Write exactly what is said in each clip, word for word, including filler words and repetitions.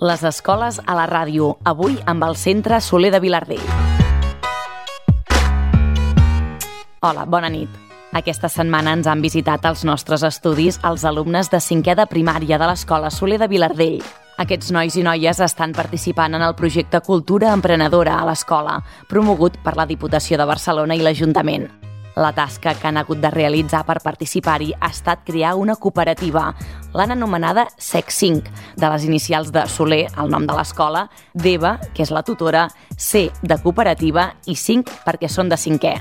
Les escoles a la ràdio, avui amb el Centre Soler de Vilardell. Hola, bona nit. Aquesta setmana ens han visitat als nostres estudis els alumnes de cinquè de primària de l'Escola Soler de Vilardell. Aquests nois i noies estan participant en el projecte Cultura Emprenedora a l'escola, promogut per la Diputació de Barcelona i l'Ajuntament. La tasca que han hagut de realitzar per participar-hi ha estat crear una cooperativa. L'han anomenada S E C cinc, de les inicials de Soler, el nom de l'escola, d'Eva, que és la tutora, C de cooperativa i cinc perquè són de cinquè.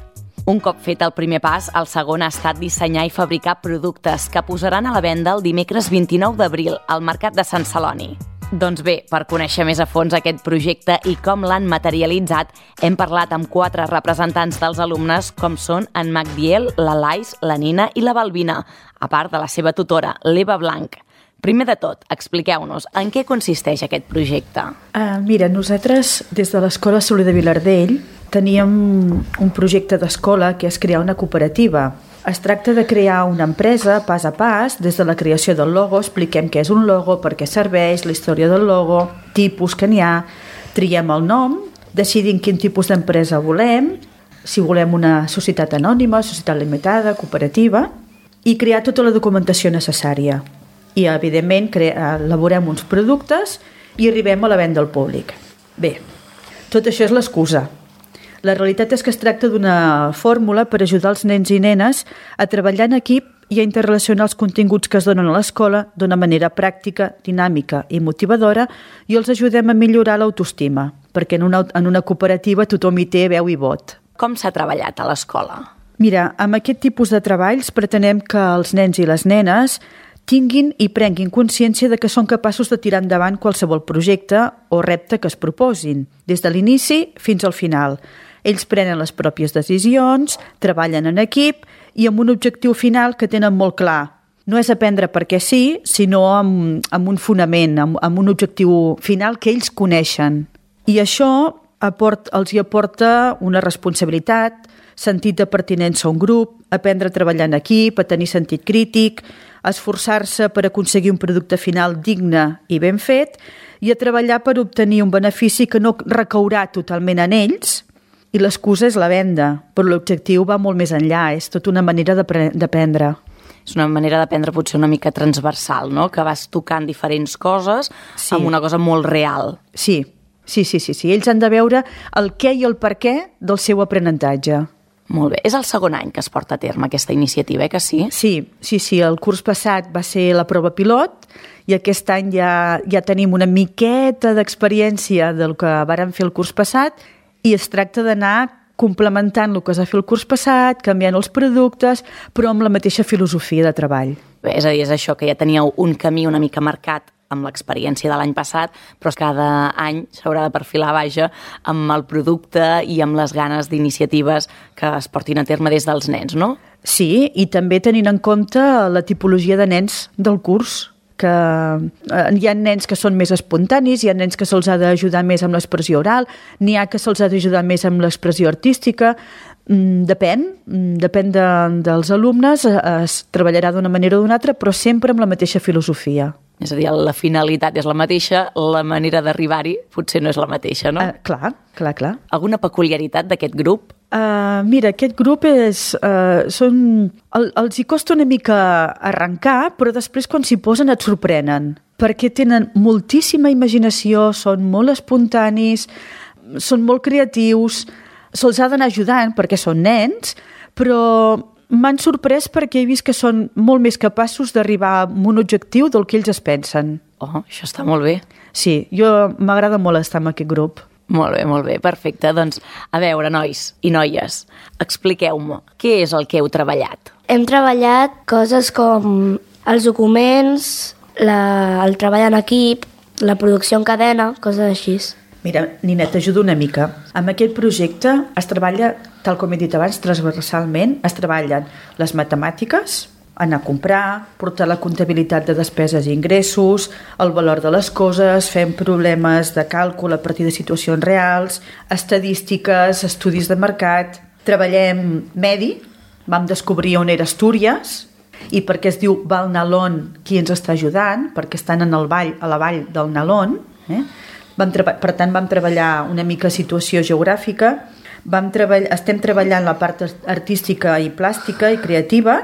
Un cop fet el primer pas, el segon ha estat dissenyar i fabricar productes que posaran a la venda el dimecres vint-i-nou d'abril al Mercat de Sant Celoni. Doncs bé, per conèixer més a fons aquest projecte i com l'han materialitzat, hem parlat amb quatre representants dels alumnes, com són en Magdiel, la Lais, la Nina i la Balbina, a part de la seva tutora, l'Eva Blanc. Primer de tot, expliqueu-nos en què consisteix aquest projecte. Uh, mira, nosaltres, des de l'Escola Soler de Vilardell, teníem un projecte d'escola que és crear una cooperativa. Es tracta de crear una empresa pas a pas, des de la creació del logo, expliquem què és un logo, per què serveix, la història del logo, tipus que n'hi ha, triem el nom, decidim quin tipus d'empresa volem, si volem una societat anònima, societat limitada, cooperativa, i crear tota la documentació necessària. I, evidentment, crea, elaborem uns productes i arribem a la venda al públic. Bé, tot això és l'excusa. La realitat és que es tracta d'una fórmula per ajudar els nens i nenes a treballar en equip i a interrelacionar els continguts que es donen a l'escola d'una manera pràctica, dinàmica i motivadora, i els ajudem a millorar l'autoestima, perquè en una, en una cooperativa tothom hi té veu i vot. Com s'ha treballat a l'escola? Mira, amb aquest tipus de treballs pretenem que els nens i les nenes tinguin i prenguin consciència de que són capaços de tirar endavant qualsevol projecte o repte que es proposin, des de l'inici fins al final. Ells prenen les pròpies decisions, treballen en equip i amb un objectiu final que tenen molt clar. No és aprendre perquè sí, sinó amb, amb un fonament, amb, amb un objectiu final que ells coneixen. I això aport, els hi aporta una responsabilitat, sentit de pertinença a un grup, aprendre a treballar en equip, a tenir sentit crític, a esforçar-se per aconseguir un producte final digne i ben fet i a treballar per obtenir un benefici que no recaurà totalment en ells. I l'excusa és la venda, però l'objectiu va molt més enllà, és tota una manera d'aprendre. És una manera d'aprendre potser una mica transversal, no? Que vas tocant diferents coses sí. Amb una cosa molt real. Sí, sí, sí, sí, sí. Ells han de veure el què i el per què del seu aprenentatge. Molt bé. És el segon any que es porta a terme aquesta iniciativa, eh, que sí? Sí, sí, sí. El curs passat va ser la prova pilot i aquest any ja, ja tenim una miqueta d'experiència del que vàrem fer el curs passat i es tracta d'anar complementant el que es va fer el curs passat, canviant els productes, però amb la mateixa filosofia de treball. Bé, és a dir, és això, que ja teníeu un camí una mica marcat amb l'experiència de l'any passat, però cada any s'haurà de perfilar vaja amb el producte i amb les ganes d'iniciatives que es portin a terme des dels nens, no? Sí, i també tenint en compte la tipologia de nens del curs, que hi ha nens que són més espontanis, hi ha nens que se'ls ha d'ajudar més amb l'expressió oral, n'hi ha que se'ls ha d'ajudar més amb l'expressió artística. Depèn, depèn de, dels alumnes, es treballarà d'una manera o d'una altra, però sempre amb la mateixa filosofia. És a dir, la finalitat és la mateixa, la manera d'arribar-hi potser no és la mateixa, no? Uh, clar, clar, clar. Alguna peculiaritat d'aquest grup? Uh, mira, aquest grup és... Uh, són, el, els hi costa una mica arrencar, però després quan s'hi posen et sorprenen, perquè tenen moltíssima imaginació, són molt espontanis, són molt creatius, se'ls ha d'anar ajudant perquè són nens, però m'han sorprès perquè he vist que són molt més capaços d'arribar a un objectiu del que ells es pensen. Oh, això està molt bé. Sí, jo m'agrada molt estar en aquest grup. Molt bé, molt bé, perfecte. Doncs, a veure, nois i noies, expliqueu-me, què és el que heu treballat? Hem treballat coses com els documents, la, el treball en equip, la producció en cadena, coses així. Mira, Nina, t'ajudo una mica. Amb aquest projecte es treballa, tal com he dit abans, transversalment, es treballen les matemàtiques, anar a comprar, portar la comptabilitat de despeses i ingressos, el valor de les coses, fem problemes de càlcul a partir de situacions reals, estadístiques, estudis de mercat, treballem medi, vam descobrir on era Astúries, i perquè es diu Val Nalón qui ens està ajudant, perquè estan en el vall, a la vall del Nalón, Eh? Vam treba- per tant, vam treballar una mica situació geogràfica, vam treball- estem treballant la part artística i plàstica i creativa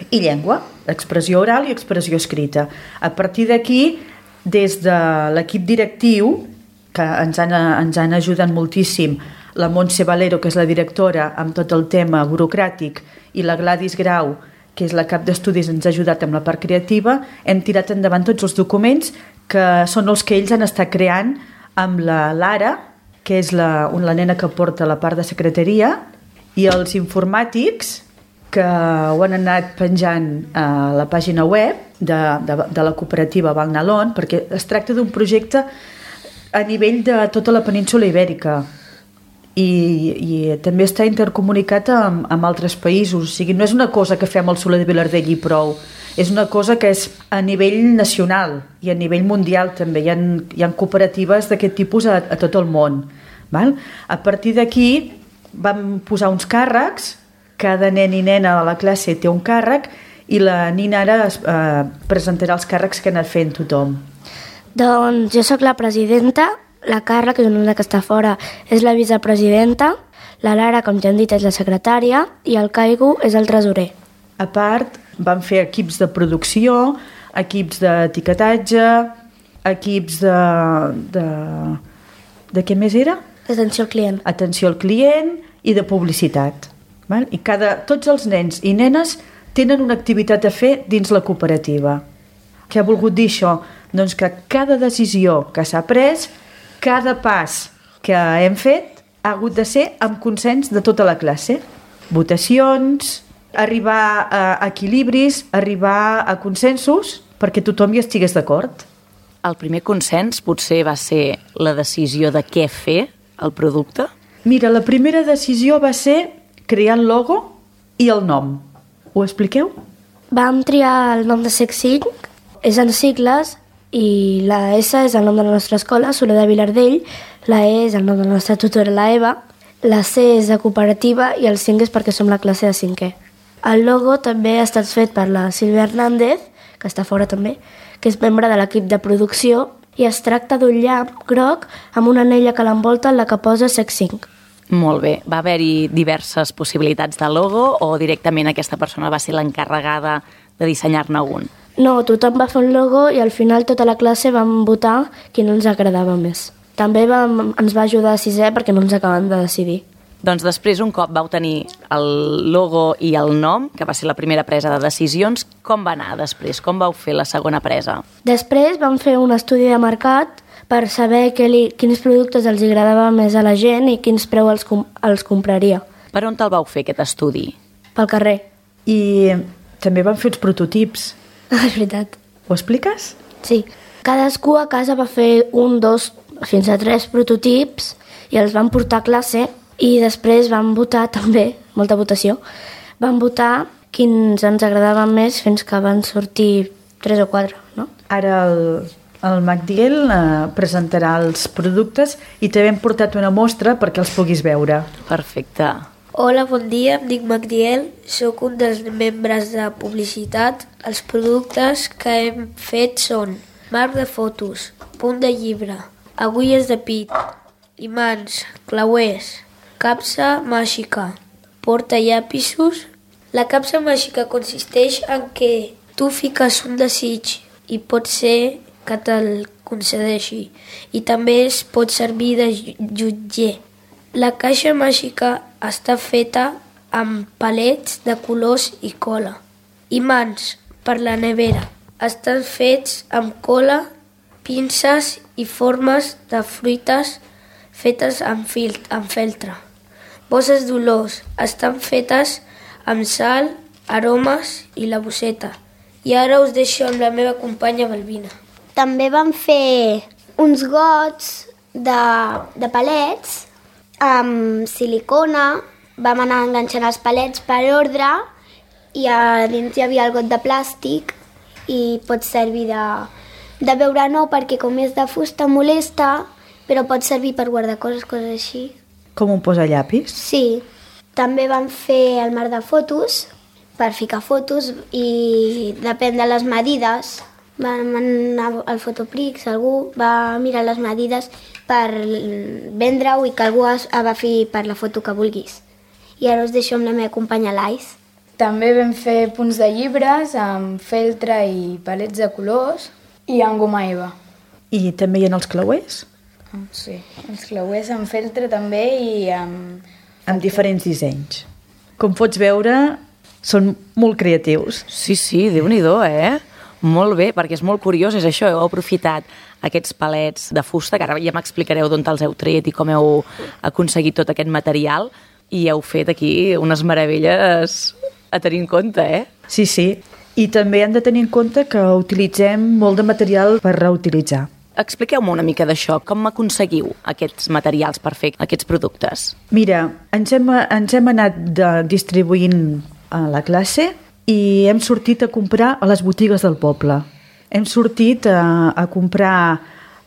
i llengua, expressió oral i expressió escrita. A partir d'aquí, des de l'equip directiu, que ens han, ens han ajudat moltíssim, la Montse Valero, que és la directora, amb tot el tema burocràtic, i la Gladys Grau, que és la cap d'estudis, ens ha ajudat amb la part creativa, hem tirat endavant tots els documents que són els que ells han estat creant amb la Lara, que és la, la nena que porta la part de secretaria, i els informàtics, que ho han anat penjant a la pàgina web de, de, de la cooperativa Valnalon, perquè es tracta d'un projecte a nivell de tota la península ibèrica i, i també està intercomunicat amb, amb altres països. O sigui, no és una cosa que fem al Soler de Vilardell i prou, és una cosa que és a nivell nacional i a nivell mundial també. Hi ha, hi ha cooperatives d'aquest tipus a, a tot el món. Val? A partir d'aquí vam posar uns càrrecs, cada nen i nena de la classe té un càrrec i la Nina ara eh, presentarà els càrrecs que ha anat fent tothom. Doncs jo sóc la presidenta, la Carla, que és una que està fora, és la vicepresidenta, la Lara, com ja hem dit, és la secretària i el Caigo és el tresorer. A part, vam fer equips de producció, equips d'etiquetatge, equips de... de... de què més era? Atenció al client. Atenció al client i de publicitat. Val? I cada, tots els nens i nenes tenen una activitat a fer dins la cooperativa. Què ha volgut dir això? Doncs que cada decisió que s'ha pres, cada pas que hem fet, ha hagut de ser amb consens de tota la classe. Votacions, arribar a equilibris, arribar a consensos, perquè tothom hi estigués d'acord. El primer consens potser va ser la decisió de què fer el producte? Mira, la primera decisió va ser crear el logo i el nom. Ho expliqueu? Vam triar el nom de SecCinc, és en sigles, i la S és el nom de la nostra escola, Soler de Vilardell, la E és el nom de la nostra tutora, la Eva, la C és de cooperativa i el cinc és perquè som la classe de cinquè. El logo també ha estat fet per la Sílvia Hernández, que està fora també, que és membre de l'equip de producció, i es tracta d'un llamp groc amb una anella que l'envolta en la que posa SecCinc. Molt bé. Va haver-hi diverses possibilitats de logo o directament aquesta persona va ser l'encarregada de dissenyar-ne un? No, tothom va fer un logo i al final tota la classe vam votar quin ens agradava més. També vam, ens va ajudar a sisè perquè no ens acaben de decidir. Doncs després, un cop vau tenir el logo i el nom, que va ser la primera presa de decisions, com va anar després? Com vau fer la segona presa? Després vam fer un estudi de mercat per saber que li, quins productes els agradava més a la gent i quins preu els, com, els compraria. Per on te'l vau fer, aquest estudi? Pel carrer. I també vam fer uns prototips. Ah, és veritat. Ho expliques? Sí. Cadascú a casa va fer un, dos, fins a tres prototips i els van portar a classe i després vam votar també, molta votació, vam votar quins ens agradaven més fins que van sortir tres o quatre, no? Ara el, el Magdiel eh, presentarà els productes i també hem portat una mostra perquè els puguis veure. Perfecte. Hola, bon dia, em dic Magdiel, sóc un dels membres de publicitat. Els productes que hem fet són marc de fotos, punt de llibre, agulles de pit, imants, clauers, capsa màgica, portallapisos. La capsa màgica consisteix en que tu fiques un desig i pot ser que te'l concedeixi i també es pot servir de jutger. La caixa màgica està feta amb palets de colors i cola. Imants per la nevera estan fets amb cola, pinces i formes de fruites fetes amb, fil, amb feltre. Bosses d'olors estan fetes amb sal, aromes i la bosseta. I ara us deixo amb la meva companya Balbina. També vam fer uns gots de, de palets amb silicona, vam anar enganxant els palets per ordre i a dins hi havia el got de plàstic i pot servir de, de beure nou perquè com és de fusta molesta, però pot servir per guardar coses, coses així. Com un posallapis? Sí. També vam fer el marc de fotos per ficar fotos i depèn de les medides vam anar al Fotoprix, algú va mirar les medides per vendre-ho i que algú agafi per la foto que vulguis. I ara us deixo amb la meva companya l'Ais. També vam fer punts de llibres amb feltre i palets de colors i amb goma eva. I també hi ha els clauers? Sí, els clauers amb feltre també i amb... Amb diferents dissenys. Com pots veure, són molt creatius. Sí, sí, Déu-n'hi-do, eh? Molt bé, perquè és molt curiós, és això, heu aprofitat aquests palets de fusta, que ara ja m'explicareu d'on els heu tret i com heu aconseguit tot aquest material, i heu fet aquí unes meravelles a tenir en compte, eh? Sí, sí. I també hem de tenir en compte que utilitzem molt de material per reutilitzar. Expliqueu-me una mica d'això. Com aconseguiu aquests materials per fer aquests productes? Mira, ens hem, ens hem anat de, distribuint a la classe i hem sortit a comprar a les botigues del poble. Hem sortit a, a comprar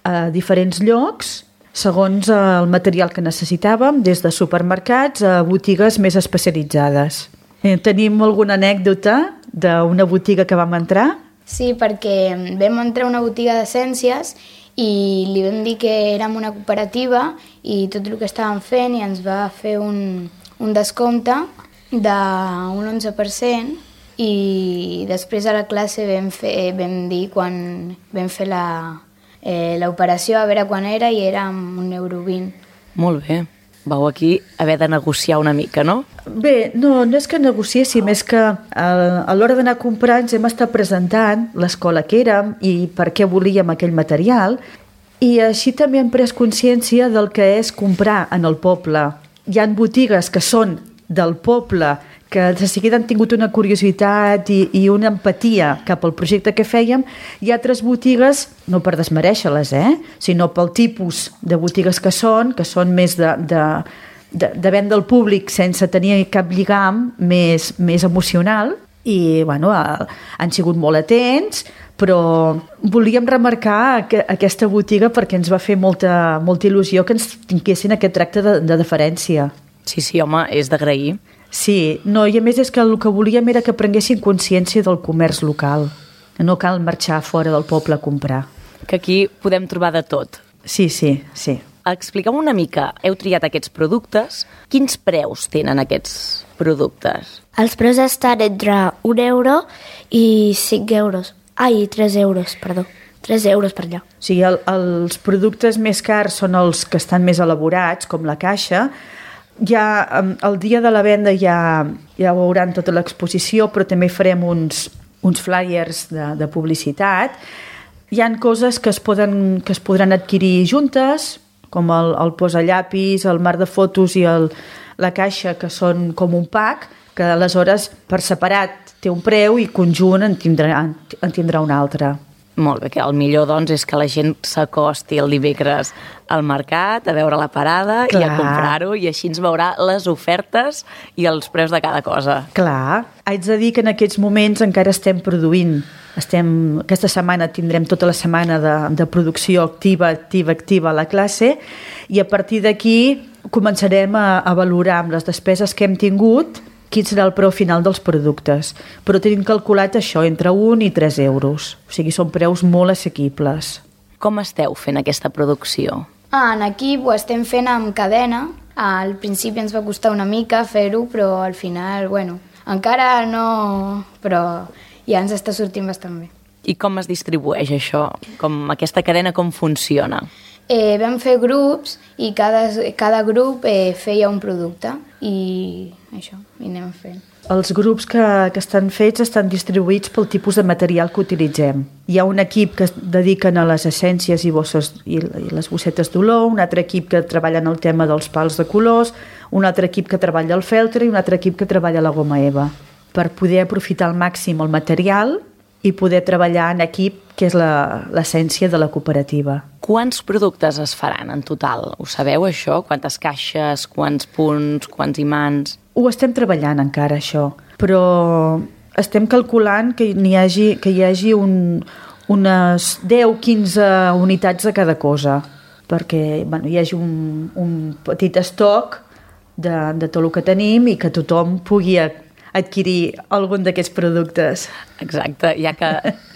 a diferents llocs segons el material que necessitàvem, des de supermercats a botigues més especialitzades. Eh, tenim alguna anècdota d'una botiga que vam entrar? Sí, perquè vam entrar a una botiga de ciències i li vam dir que érem una cooperativa i tot el que estàvem fent i ens va fer un, un descompte d'un onze per cent i després a la classe vam, fer, vam dir quan vam fer la, eh, l'operació a veure quan era i era un euro vint. Molt bé. Vau aquí haver de negociar una mica, no? Bé, no, no és que negociéssim, és que a, a l'hora d'anar a comprar ens hem estat presentant l'escola que érem i per què volíem aquell material i així també hem pres consciència del que és comprar en el poble. Hi ha botigues que són del poble que de seguida han tingut una curiositat i, i una empatia cap al projecte que fèiem, i altres botigues, no per desmereixer-les, eh? sinó pel tipus de botigues que són, que són més de, de, de, de venda al públic sense tenir cap lligam més, més emocional, i bueno, han sigut molt atents, però volíem remarcar que, aquesta botiga perquè ens va fer molta, molta il·lusió que ens tinguessin aquest tracte de, de deferència. Sí, sí, home, és d'agrair. Sí, no, i a més és que el que volíem era que prenguessin consciència del comerç local. No cal marxar fora del poble a comprar. Que aquí podem trobar de tot. Sí, sí, sí. Expliqueu una mica, heu triat aquests productes, quins preus tenen aquests productes? Els preus estan entre un euro i cinc euros. Ai, tres euros, perdó. tres euros per allà. O sigui, el, els productes més cars són els que estan més elaborats, com la caixa. Ja el dia de la venda ja, ja veuran tota l'exposició, però també farem uns, uns flyers de, de publicitat. Hi han coses que es, poden, que es podran adquirir juntes, com el, el posallapis, el mar de fotos i el, la caixa, que són com un pack, que aleshores per separat té un preu i conjunt en tindrà, en tindrà un altre. Molt bé, que el millor doncs és que la gent s'acosti el dimecres al mercat a veure la parada Clar. I a comprar-ho, i així ens veurà les ofertes i els preus de cada cosa. Clar, haig de dir que en aquests moments encara estem produint. Estem, aquesta setmana tindrem tota la setmana de, de producció activa, activa, activa a la classe, i a partir d'aquí començarem a, a valorar amb les despeses que hem tingut quin serà el preu final dels productes. Però tenim calculat això, entre un i tres euros. O sigui, són preus molt assequibles. Com esteu fent aquesta producció? Ah, en equip ho estem fent amb cadena. Al principi ens va costar una mica fer-ho, però al final, bueno, encara no... però ja ens està sortint bastant bé. I com es distribueix això? Com aquesta cadena com funciona? Eh, vam fer grups i cada, cada grup eh, feia un producte i això, i anem fent. Els grups que, que estan fets estan distribuïts pel tipus de material que utilitzem. Hi ha un equip que es dediquen a les essències i, bosses, i, i les bossetes d'olor, un altre equip que treballa en el tema dels pals de colors, un altre equip que treballa el feltre i un altre equip que treballa la goma eva, per poder aprofitar al màxim el material i poder treballar en equip, que és l'essència de la cooperativa. Quants productes es faran en total? Ho sabeu, això? Quantes caixes, quants punts, quants imants? Ho estem treballant encara, això, però estem calculant que n'hi hagi, que hi hagi un, unes deu a quinze unitats de cada cosa, perquè bueno, hi hagi un, un petit estoc de, de tot el que tenim i que tothom pugui adquirir algun d'aquests productes. Exacte, ja que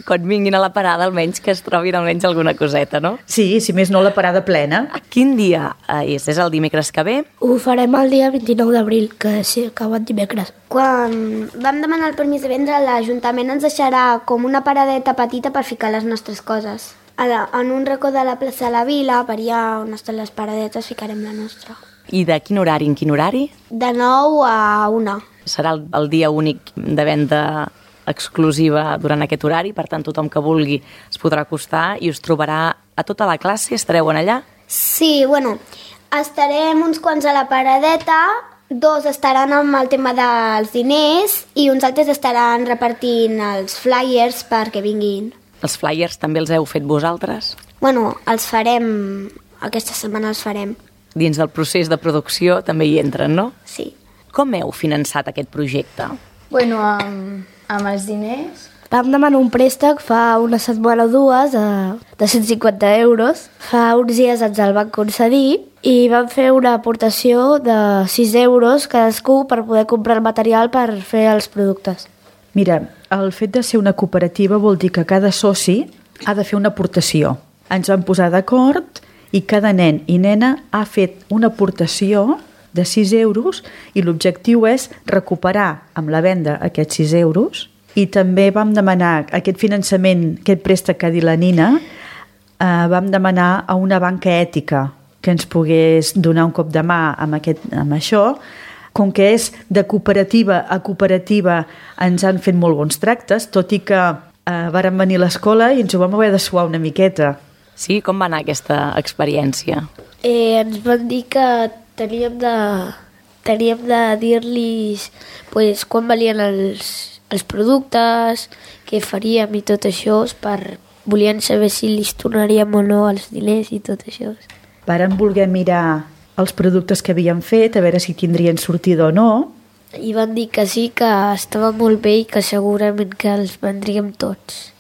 quan vinguin a la parada almenys que es trobin almenys alguna coseta, no? Sí, si més no la parada plena. Quin dia és? És el dimecres que ve? Ho farem el dia vint-i-nou d'abril, que sí, acabat dimecres. Quan vam demanar el permís de vendre, l'Ajuntament ens deixarà com una paradeta petita per ficar les nostres coses. A la, en un racó de la plaça de la Vila, per allà on estan les paradetes, ficarem la nostra. I de quin horari en quin horari? De nou a una. Serà el, el dia únic de venda exclusiva durant aquest horari, per tant tothom que vulgui es podrà acostar i us trobarà a tota la classe. Estareu en allà? Sí, bueno, estarem uns quants a la paradeta, dos estaran amb el tema dels diners i uns altres estaran repartint els flyers perquè vinguin. Els flyers també els heu fet vosaltres? Bueno, els farem, aquesta setmana els farem. Dins del procés de producció també hi entren, no? Sí. Com heu finançat aquest projecte? Bueno, amb, amb els diners... Vam demanar un préstec fa una setmana o dues de, de cent cinquanta euros. Fa uns dies ens el van concedir i vam fer una aportació de sis euros cadascú per poder comprar el material per fer els productes. Mira, el fet de ser una cooperativa vol dir que cada soci ha de fer una aportació. Ens vam posar d'acord i cada nen i nena ha fet una aportació de sis euros i l'objectiu és recuperar amb la venda aquests sis euros i també vam demanar aquest finançament, aquest préstec que ha dit la Nina, eh, vam demanar a una banca ètica que ens pogués donar un cop de mà amb, aquest, amb això. Com que és de cooperativa a cooperativa ens han fet molt bons tractes, tot i que eh, varen venir a l'escola i ens ho vam haver de suar una miqueta. Sí? Com va anar aquesta experiència? Eh, ens van dir que teníem de, teníem de dir-los pues, quan valien els, els productes, què faríem i tot això, per volien saber si li tornaríem o no els diners i tot això. Varen voler mirar els productes que havien fet, a veure si tindrien sortida o no. I van dir que sí, que estava molt bé i que segurament que els vendríem tots.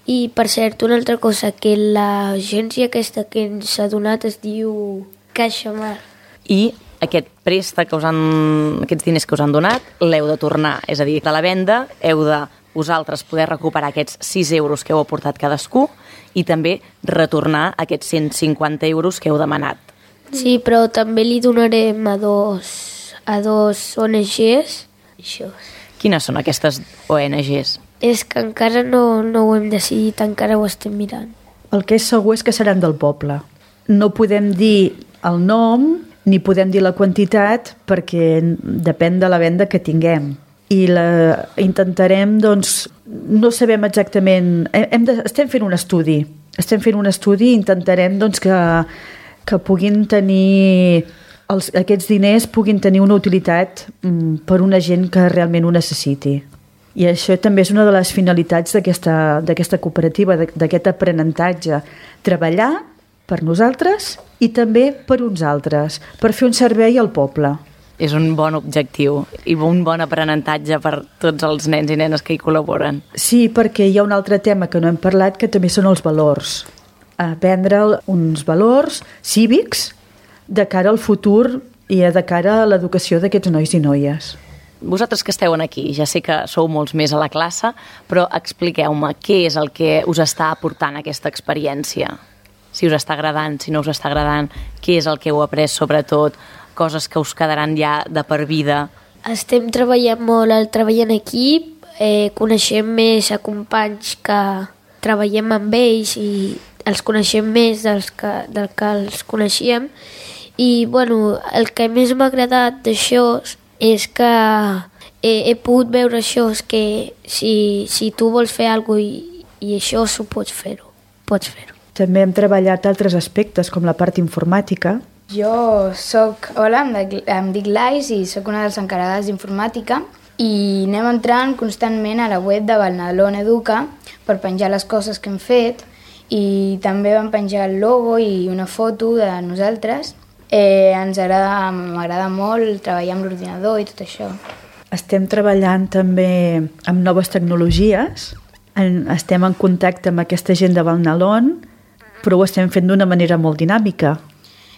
I, per cert, una altra cosa, que l'agència aquesta que ens ha donat es diu CaixaMar. I aquest préstec que us han, aquests diners que us han donat, l'heu de tornar. És a dir, de la venda heu de vosaltres poder recuperar aquests sis euros que heu aportat cadascú i també retornar aquests cent cinquanta euros que heu demanat. Sí, però també li donarem a dos, a dos O N Ges. Això. Quines són aquestes O N Ges? És que encara no, no ho hem decidit, encara ho estem mirant. El que és segur és que seran del poble. No podem dir el nom ni podem dir la quantitat perquè depèn de la venda que tinguem. I la, intentarem, doncs, no sabem exactament... Hem de, estem fent un estudi. Estem fent un estudi i intentarem doncs, que, que puguin tenir... Els, aquests diners puguin tenir una utilitat mm, per una gent que realment ho necessiti. I això també és una de les finalitats d'aquesta d'aquesta cooperativa, d'aquest aprenentatge. Treballar per nosaltres i també per uns altres, per fer un servei al poble. És un bon objectiu i un bon aprenentatge per tots els nens i nenes que hi col·laboren. Sí, perquè hi ha un altre tema que no hem parlat, que també són els valors. Aprendre uns valors cívics de cara al futur i de cara a l'educació d'aquests nois i noies. Vosaltres que esteu aquí, ja sé que sou molts més a la classe, però expliqueu-me què és el que us està aportant aquesta experiència. Si us està agradant, si no us està agradant, què és el que heu après sobretot, coses que us quedaran ja de per vida. Estem treballant molt el treball en equip, eh, coneixem més a companys que treballem amb ells i els coneixem més dels que, del que els coneixíem. I bueno, el que més m'ha agradat d'això és que he, he pogut veure això, és que si, si tu vols fer alguna cosa i, i això s'ho pots fer-ho, pots fer-ho. També hem treballat altres aspectes, com la part informàtica. Jo soc, hola, em dic, em dic Lais i sóc una de les encarregades d'informàtica i anem entrant constantment a la web de Valnalón Educa per penjar les coses que hem fet i també vam penjar el logo i una foto de nosaltres. Eh, ens agrada, m'agrada molt treballar amb l'ordinador i tot això. Estem treballant també amb noves tecnologies, en, estem en contacte amb aquesta gent de Valnalón, però ho estem fent d'una manera molt dinàmica.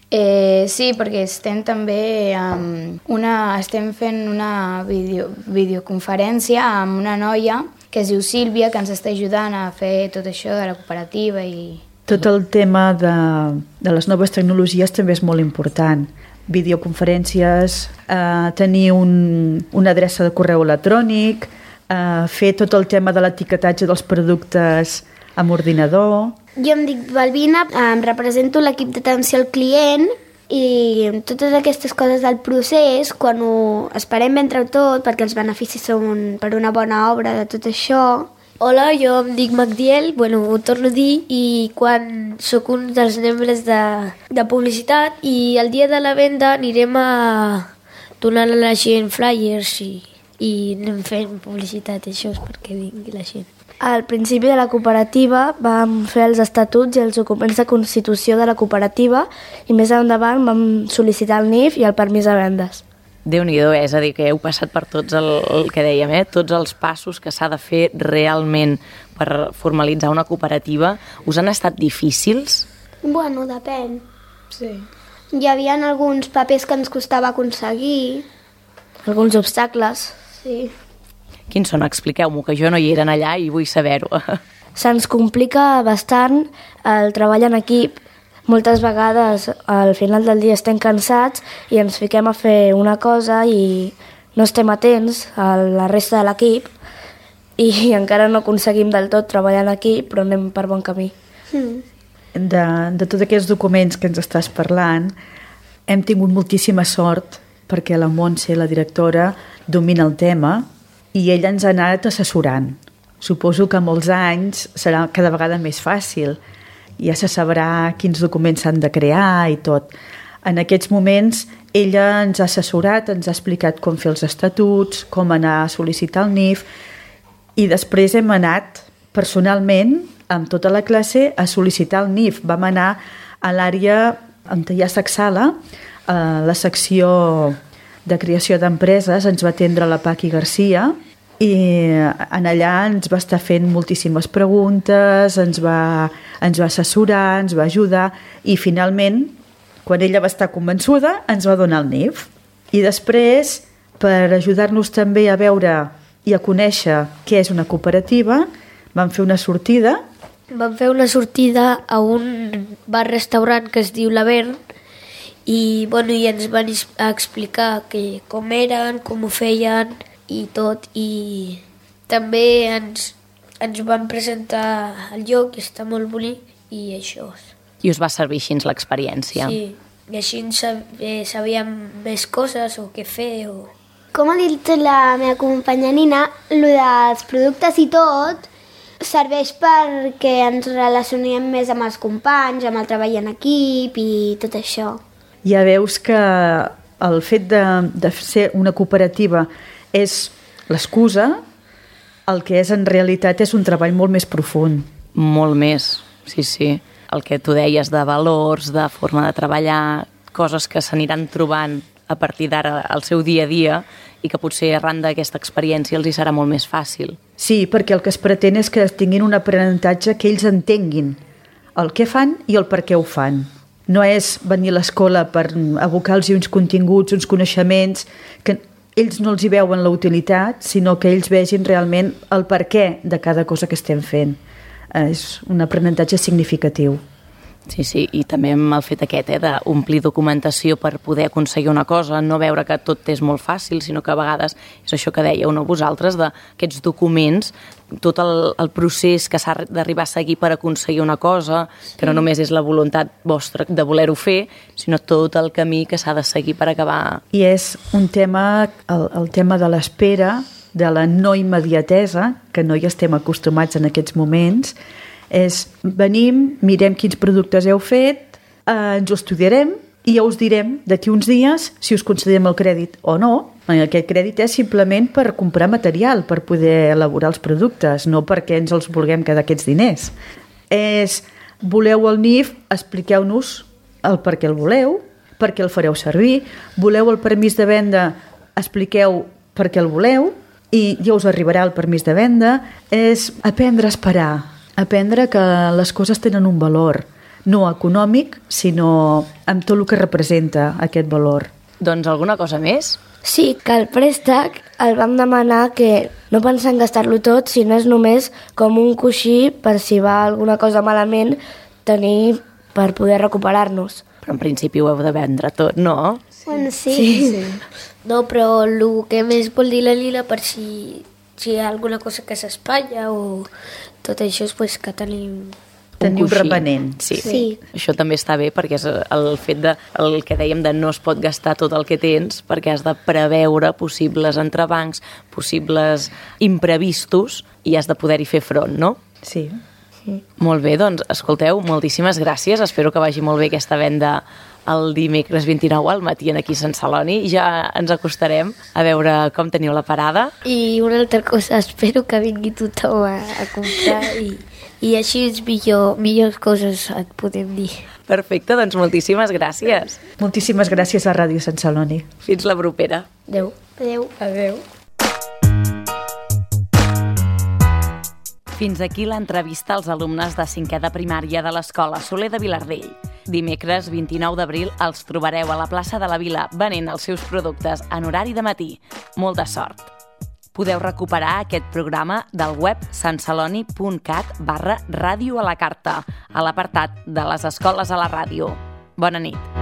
Eh, sí, perquè estem també um, una, estem fent una video, videoconferència amb una noia que es diu Sílvia, que ens està ajudant a fer tot això de la cooperativa i... Tot el tema de, de les noves tecnologies també és molt important. Videoconferències, eh, tenir un, una adreça de correu electrònic, eh, fer tot el tema de l'etiquetatge dels productes amb ordinador. Jo em dic Balbina, em represento l'equip d'atenció al client i totes aquestes coses del procés, quan ho esperem ben treu tot, perquè els beneficis són per una bona obra de tot això. Hola, jo em dic Magdiel, bueno, ho torno a dir, i quan sóc un dels membres de, de publicitat i el dia de la venda anirem a donar a la gent flyers i, i anem fent publicitat, això és perquè vingui la gent. Al principi de la cooperativa vam fer els estatuts i els documents de constitució de la cooperativa i més endavant vam sol·licitar el N I F i el permís de vendes. Déu-n'hi-do, és a dir, que heu passat per tots el, el que dèiem, eh? Tots els passos que s'ha de fer realment per formalitzar una cooperativa. Us han estat difícils? Bueno, depèn. Sí. Hi havia alguns papers que ens costava aconseguir. Alguns obstacles. Sí. Quins són? Expliqueu-m'ho, que jo no hi eren allà i vull saber-ho. Se'ns complica bastant el treball en equip. Moltes vegades al final del dia estem cansats i ens fiquem a fer una cosa i no estem atents a la resta de l'equip i encara no aconseguim del tot treballar en equip, però anem per bon camí. Mm. De, de tots aquests documents que ens estàs parlant, hem tingut moltíssima sort perquè la Montse, la directora, domina el tema i ella ens ha anat assessorant. Suposo que molts anys serà cada vegada més fàcil. Ja se sabrà quins documents s'han de crear i tot. En aquests moments ella ens ha assessorat, ens ha explicat com fer els estatuts, com anar a sol·licitar el N I F i després hem anat personalment amb tota la classe a sol·licitar el N I F. Vam anar a l'àrea on hi ha Saxala, a la secció de creació d'empreses, ens va atendre la Paqui Garcia i en allà ens va estar fent moltíssimes preguntes, ens va, ens va assessorar, ens va ajudar i finalment, quan ella va estar convençuda, ens va donar el N I F. I després, per ajudar-nos també a veure i a conèixer què és una cooperativa, vam fer una sortida. Vam fer una sortida a un bar-restaurant que es diu l'Avern i, bueno, i ens van explicar que, com eren, com ho feien i tot, i també ens, ens van presentar el lloc, que està molt bonic, i això. I us va servir així l'experiència? Sí, i així sabíem més coses o què fer. O... Com ha dit la meva companya Nina, el dels productes i tot serveix perquè ens relacionem més amb els companys, amb el treball en equip i tot això. Ja veus que el fet de, de ser una cooperativa és l'excusa, el que és en realitat és un treball molt més profund. Molt més, sí, sí. El que tu deies de valors, de forma de treballar, coses que s'aniran trobant a partir d'ara al seu dia a dia i que potser arran d'aquesta experiència els hi serà molt més fàcil. Sí, perquè el que es pretén és que tinguin un aprenentatge que ells entenguin el que fan i el per què ho fan. No és venir a l'escola per abocar-los uns continguts, uns coneixements, que ells no els hi veuen la utilitat, sinó que ells vegin realment el per què de cada cosa que estem fent. És un aprenentatge significatiu. Sí, sí, i també amb el fet aquest, eh, d'omplir documentació per poder aconseguir una cosa, no veure que tot és molt fàcil, sinó que a vegades és això que dèieu, no, vosaltres, d'aquests documents, tot el, el procés que s'ha d'arribar a seguir per aconseguir una cosa, sí. Que no només és la voluntat vostra de voler-ho fer, sinó tot el camí que s'ha de seguir per acabar. I és un tema, el, el tema de l'espera, de la no immediatesa, que no hi estem acostumats en aquests moments, és venim, mirem quins productes heu fet, eh, ens ho estudiarem i ja us direm d'aquí uns dies si us concedem el crèdit o no. Aquest crèdit és simplement per comprar material, per poder elaborar els productes, no perquè ens els vulguem quedar aquests diners. És, voleu el N I F, expliqueu-nos el per què el voleu, per què el fareu servir, voleu el permís de venda, expliqueu per què el voleu i ja us arribarà el permís de venda. És aprendre a esperar, aprendre que les coses tenen un valor, no econòmic, sinó amb tot el que representa aquest valor. Doncs alguna cosa més? Sí, que el préstec el vam demanar que no pensem gastar-lo tot, sinó és només com un coixí per si va alguna cosa malament tenir per poder recuperar-nos. Però en principi ho heu de vendre tot, no? Bueno, sí. Sí. No, però el que més vol dir la Lila, per si, si hi ha alguna cosa que s'espatlla o tot això, és pues, que tenim... Tenir un coixí. remanent. Sí. Sí. Això també està bé perquè és el fet de, el que dèiem de no es pot gastar tot el que tens perquè has de preveure possibles entrebancs, possibles imprevistos i has de poder-hi fer front, no? Sí. Molt bé, doncs, escolteu, moltíssimes gràcies. Espero que vagi molt bé aquesta venda el dimecres vint-i-nou al matí aquí a Sant Celoni. Ja ens acostarem a veure com teniu la parada. I una altra cosa, espero que vingui tothom a, a comprar i, i així és millor, millors coses et podem dir. Perfecte, doncs moltíssimes gràcies. Moltíssimes gràcies a Ràdio Sant Celoni. Fins la propera. Adéu. Adéu. Adéu. Fins aquí l'entrevista als alumnes de cinquè de primària de l'Escola Soler de Vilardell. Dimecres vint-i-nou d'abril els trobareu a la plaça de la Vila venent els seus productes en horari de matí. Molta sort! Podeu recuperar aquest programa del web santceloni punt cat barra ràdio a la carta, a l'apartat de les escoles a la ràdio. Bona nit!